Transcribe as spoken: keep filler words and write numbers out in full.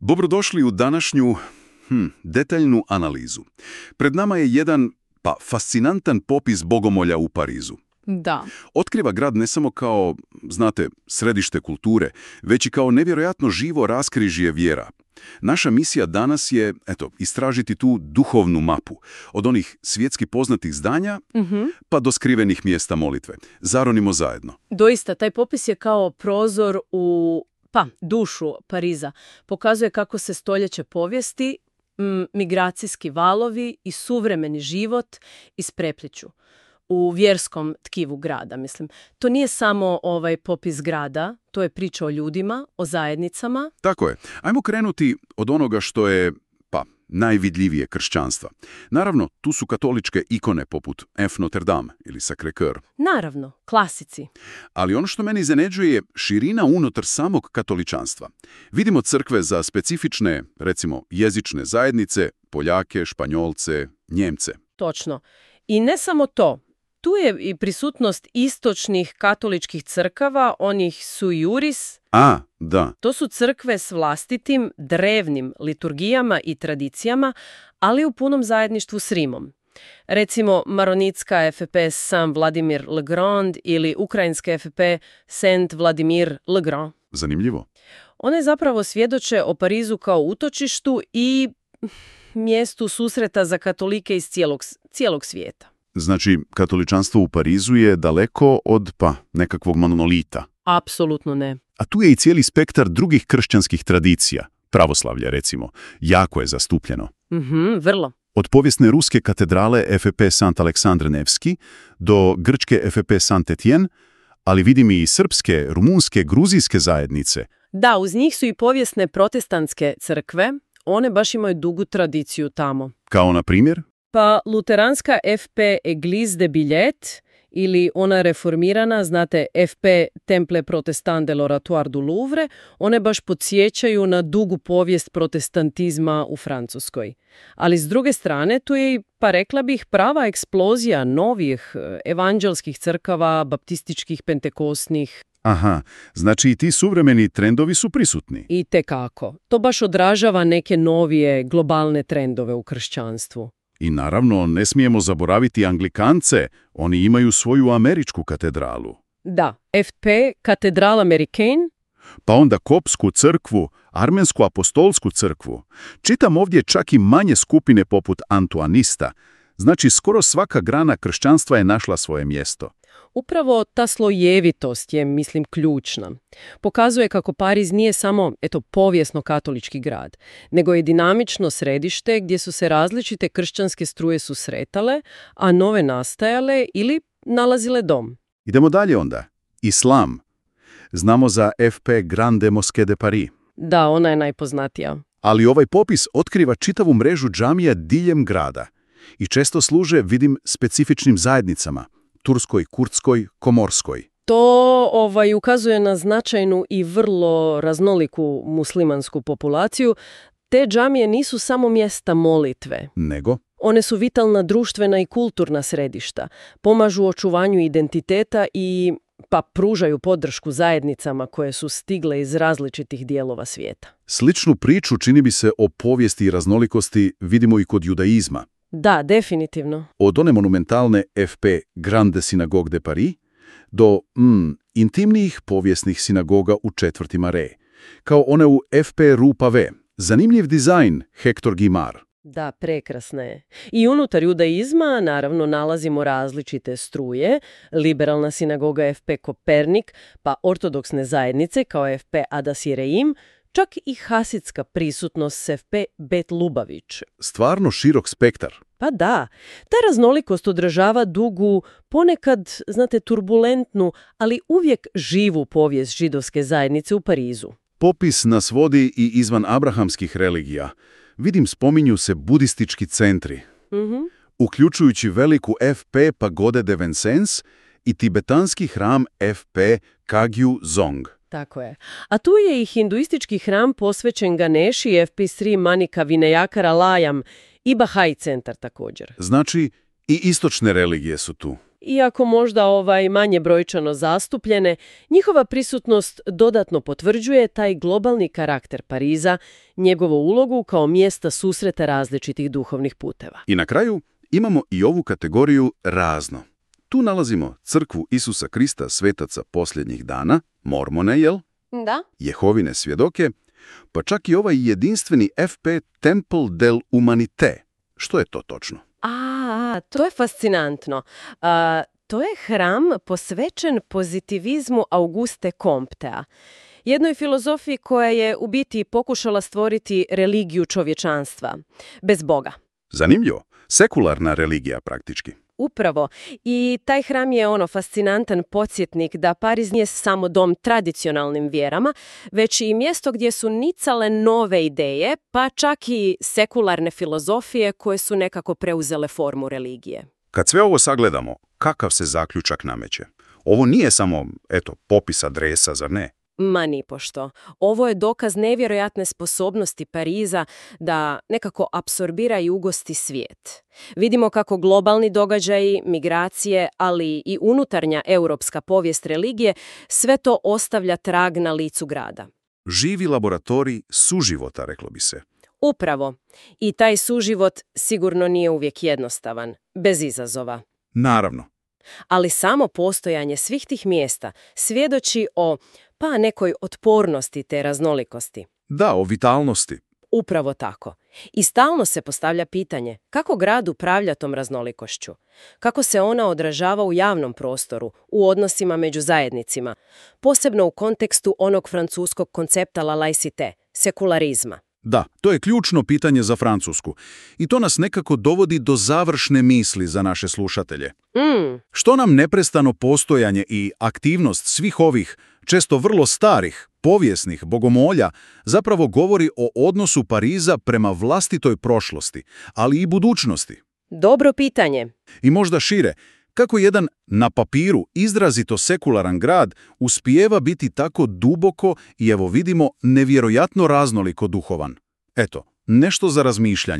Dobrodošli u današnju hm, detaljnu analizu. Pred nama je jedan, pa, fascinantan popis bogomolja u Parizu. Da. Otkriva grad ne samo kao, znate, središte kulture, već i kao nevjerojatno živo raskrižje vjera. Naša misija danas je, eto, istražiti tu duhovnu mapu, od onih svjetski poznatih zdanja Mm-hmm. pa do skrivenih mjesta molitve. Zaronimo zajedno. Doista, taj popis je kao prozor u pa, dušu Pariza. Pokazuje kako se stoljeće povijesti, m, migracijski valovi i suvremeni život isprepliću u vjerskom tkivu grada, mislim. To nije samo ovaj popis grada, to je priča o ljudima, o zajednicama. Tako je. Ajmo krenuti od onoga što je, pa, najvidljivije kršćanstva. Naravno, tu su katoličke ikone poput F. Notre Dame ili Sacré-Cœur. Naravno, klasici. Ali ono što meni iznenađuje je širina unutar samog katoličanstva. Vidimo crkve za specifične, recimo, jezične zajednice, Poljake, Španjolce, Njemce. Točno. I ne samo to. Tu je i prisutnost istočnih katoličkih crkava, onih sui juris. A, da. To su crkve s vlastitim, drevnim liturgijama i tradicijama, ali u punom zajedništvu s Rimom. Recimo, maronitska F P Saint Vladimir le Grand ili ukrajinska F P Saint Vladimir le Grand. Zanimljivo. One zapravo svjedoče o Parizu kao utočištu i mjestu susreta za katolike iz cijelog, cijelog svijeta. Znači, katoličanstvo u Parizu je daleko od, pa, nekakvog monolita. Apsolutno ne. A tu je i cijeli spektar drugih kršćanskih tradicija. Pravoslavlje, recimo. Jako je zastupljeno. Mhm, vrlo. Od povijesne ruske katedrale F P Saint Aleksandr Nevski do grčke F P Saint Etienne, ali vidim i srpske, rumunske, gruzijske zajednice. Da, uz njih su i povijesne protestantske crkve. One baš imaju dugu tradiciju tamo. Kao na primjer? Pa luteranska F P Église de Billet ili ona reformirana, znate, F P Temple Protestant de l'Oratoire du Louvre, one baš podsjećaju na dugu povijest protestantizma u Francuskoj. Ali s druge strane, tu je i, pa rekla bih, prava eksplozija novih evanđelskih crkava, baptističkih, pentekosnih. Aha, znači i ti suvremeni trendovi su prisutni. I tekako. To baš odražava neke novije globalne trendove u kršćanstvu. I naravno, ne smijemo zaboraviti Anglikance, oni imaju svoju američku katedralu. Da, F P Katedral Americain. Pa onda kopsku crkvu, armensku apostolsku crkvu. Čitam ovdje čak i manje skupine poput antuanista. Znači, skoro svaka grana kršćanstva je našla svoje mjesto. Upravo ta slojevitost je, mislim, ključna. Pokazuje kako Pariz nije samo, eto, povijesno katolički grad, nego je dinamično središte gdje su se različite kršćanske struje susretale, a nove nastajale ili nalazile dom. Idemo dalje onda. Islam. Znamo za F P Grande Mosquée de Paris. Da, ona je najpoznatija. Ali ovaj popis otkriva čitavu mrežu džamija diljem grada. I često služe, vidim, specifičnim zajednicama. Turskoj, kurdskoj, komorskoj. To ovaj, ukazuje na značajnu i vrlo raznoliku muslimansku populaciju. Te džamije nisu samo mjesta molitve. Nego? One su vitalna društvena i kulturna središta. Pomažu očuvanju identiteta i pa pružaju podršku zajednicama koje su stigle iz različitih dijelova svijeta. Sličnu priču, čini bi se, o povijesti i raznolikosti vidimo i kod judaizma. Da, definitivno. Od one monumentalne F P Grande Synagogue de Paris do mm, intimnijih povijesnih sinagoga u četvrti Marais, kao one u F P Rue Pavée. Zanimljiv dizajn Hector Guimard. Da, prekrasna je. I unutar judaizma, naravno, nalazimo različite struje, liberalna sinagoga F P Kopernik, pa ortodoksne zajednice kao F P Adas Jereim, čak i hasidska prisutnost s F P Bet Lubavić. Stvarno širok spektar. Pa da, ta raznolikost odražava dugu, ponekad, znate, turbulentnu, ali uvijek živu povijest židovske zajednice u Parizu. Popis nas vodi i izvan abrahamskih religija. Vidim, spominju se budistički centri, Mm-hmm. uključujući veliku F P Pagode de Vincennes i tibetanski hram F P Kagyu Dzong. Tako je. A tu je i hinduistički hram posvećen Ganeši F P Sri Manika Vinayakara Layam i Bahai centar također. Znači, I istočne religije su tu. Iako možda ovaj manje brojčano zastupljene, njihova prisutnost dodatno potvrđuje taj globalni karakter Pariza, njegovu ulogu kao mjesta susreta različitih duhovnih puteva. I na kraju imamo i ovu kategoriju razno. Tu nalazimo crkvu Isusa Krista svetaca posljednjih dana, mormone, jel? Da. Jehovine svjedoke, pa čak i ovaj jedinstveni F P Temple del Humanité. Što je to točno? A, to je fascinantno. A, to je hram posvećen pozitivizmu Auguste Comtea, jednoj filozofiji koja je u biti pokušala stvoriti religiju čovječanstva, bez Boga. Zanimljivo. Sekularna religija praktički. Upravo. I taj hram je ono fascinantan podsjetnik da Pariz nije samo dom tradicionalnim vjerama, već i mjesto gdje su nicale nove ideje, pa čak i sekularne filozofije koje su nekako preuzele formu religije. Kad sve ovo sagledamo, kakav se zaključak nameće? Ovo nije samo, eto, popis adresa, zar ne? Ma nipošto. Ovo je dokaz nevjerojatne sposobnosti Pariza da nekako apsorbira i ugosti svijet. Vidimo kako globalni događaji, migracije, ali i unutarnja europska povijest religije, sve to ostavlja trag na licu grada. Živi laboratorij suživota, reklo bi se. Upravo. I taj suživot sigurno nije uvijek jednostavan, bez izazova. Naravno. Ali samo postojanje svih tih mjesta svjedoči o pa nekoj otpornosti te raznolikosti. Da, o vitalnosti. Upravo tako. I stalno se postavlja pitanje kako grad upravlja tom raznolikošću, kako se ona odražava u javnom prostoru, u odnosima među zajednicima, posebno u kontekstu onog francuskog koncepta la laïcité, sekularizma. Da, to je ključno pitanje za Francusku. I to nas nekako dovodi do završne misli za naše slušatelje. Mm. Što nam neprestano postojanje i aktivnost svih ovih, često vrlo starih, povijesnih bogomolja zapravo govori o odnosu Pariza prema vlastitoj prošlosti, ali i budućnosti? Dobro pitanje. I možda šire, kako jedan na papiru izrazito sekularan grad uspijeva biti tako duboko i evo vidimo nevjerojatno raznoliko duhovan. Eto, nešto za razmišljanje.